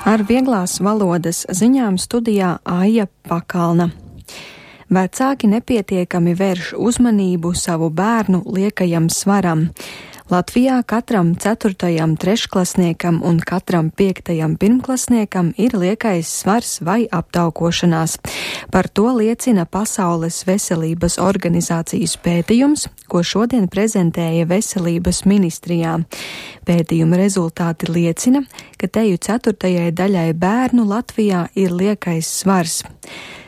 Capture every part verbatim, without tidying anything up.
Ar vieglās valodas ziņām studijā Aija Pakalna. Vecāki nepietiekami vērš uzmanību savu bērnu liekajam svaram. Latvijā katram ceturtajam trešklasniekam un katram piektajam pirmklasniekam ir liekais svars vai aptaukošanās. Par to liecina Pasaules veselības organizācijas pētījums, ko šodien prezentēja Veselības ministrijā. Pētījuma rezultāti liecina, ka teju ceturtajai daļai bērnu Latvijā ir liekais svars.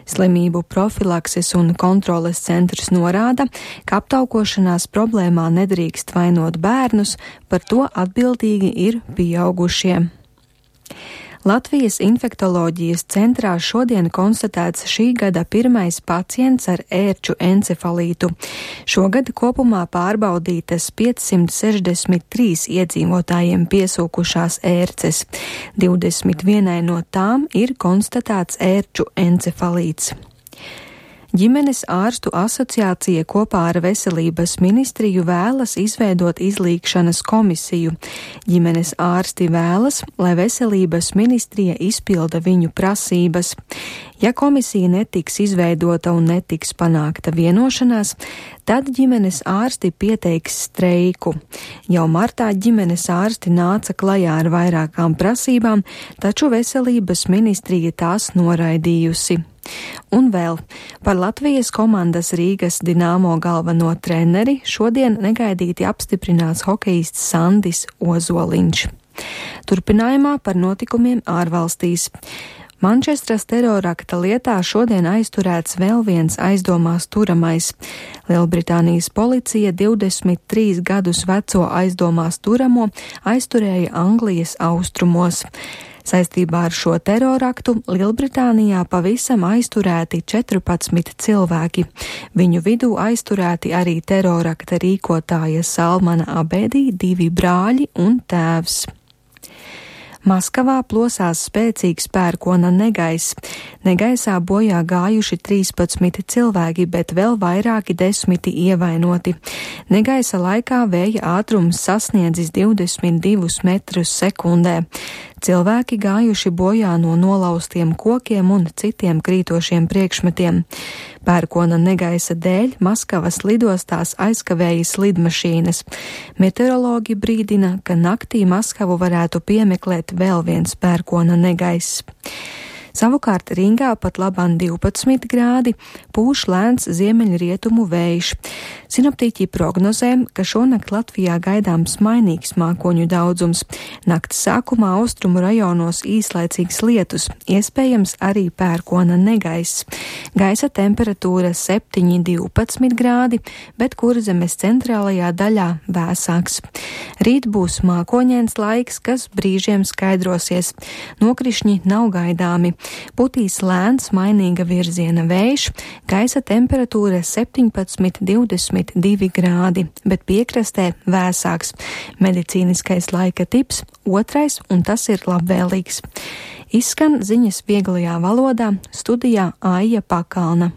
Slimību profilakses un kontroles centrs norāda, ka aptaukošanās problēmā nedrīkst vainot bērnus, par to atbildīgi ir pieaugušie. Latvijas infektoloģijas centrā šodien konstatēts šī gada pirmais pacients ar ērču encefalītu. Šogad kopumā pārbaudītas piecsimt sešdesmit trīs iedzīvotājiem piesūkušās ērces. divdesmit vienai no tām ir konstatēts ērču encefalīts. Ģimenes ārstu asociācija kopā ar Veselības ministriju vēlas izveidot izlīgšanas komisiju. Ģimenes ārsti vēlas, lai Veselības ministrija izpilda viņu prasības. Ja komisija netiks izveidota un netiks panākta vienošanās, tad ģimenes ārsti pieteiks streiku. Jau martā ģimenes ārsti nāca klajā ar vairākām prasībām, taču Veselības ministrija tās noraidījusi. Un vēl par Latvijas komandas Rīgas Dināmo galveno treneri šodien negaidīti apstiprinās hokejists Sandis Ozoliņš. Turpinājumā par notikumiem ārvalstīs. Mančestras terorakta lietā šodien aizturēts vēl viens aizdomās turamais. Lielbritānijas policija divdesmit trīs gadus veco aizdomās turamo aizturēja Anglijas austrumos. Saistībā ar šo teroraktu Lielbritānijā pavisam aizturēti četrpadsmit cilvēki. Viņu vidū aizturēti arī terorakta rīkotāja Salmana Abedī, divi brāļi un tēvs. Maskavā plosās spēcīgs pērkona negaiss. Negaisā bojā gājuši trīspadsmit cilvēki, bet vēl vairāki desmiti ievainoti. Negaisa laikā vēja ātrums sasniedzis divdesmit divus metrus sekundē. Cilvēki gājuši bojā no nolauztiem kokiem un citiem krītošiem priekšmetiem. Pērkona negaisa dēļ Maskavas lidostās aizkavējas lidmašīnas. Meteorologi brīdina, ka naktī Maskavu varētu piemeklēt vēl viens pērkona negaiss. Savukārt Rīgā pat labāk divpadsmit grādi, pūš lēns ziemeļrietumu vējš. Sinoptiķi prognozē, ka šonakt Latvijā gaidāms mainīgs mākoņu daudzums. Nakts sākumā austrumu rajonos īslaicīgs lietus, iespējams arī pērkona negaiss. Gaisa temperatūra septiņi divpadsmit grādi, bet Kurzemes centrālajā daļā vēsāks. Rīt būs mākoņains laiks, kas brīžiem skaidrosies. Nokrišņi nav gaidāmi. Putīs lēns mainīga virziena vējš, gaisa temperatūra septiņpadsmit divdesmit divi grādi, bet piekrastē vēsāks. Medicīniskais laika tips otrais, un tas ir labvēlīgs. Izskan ziņas vieglajā valodā, studijā Aija Pakalna.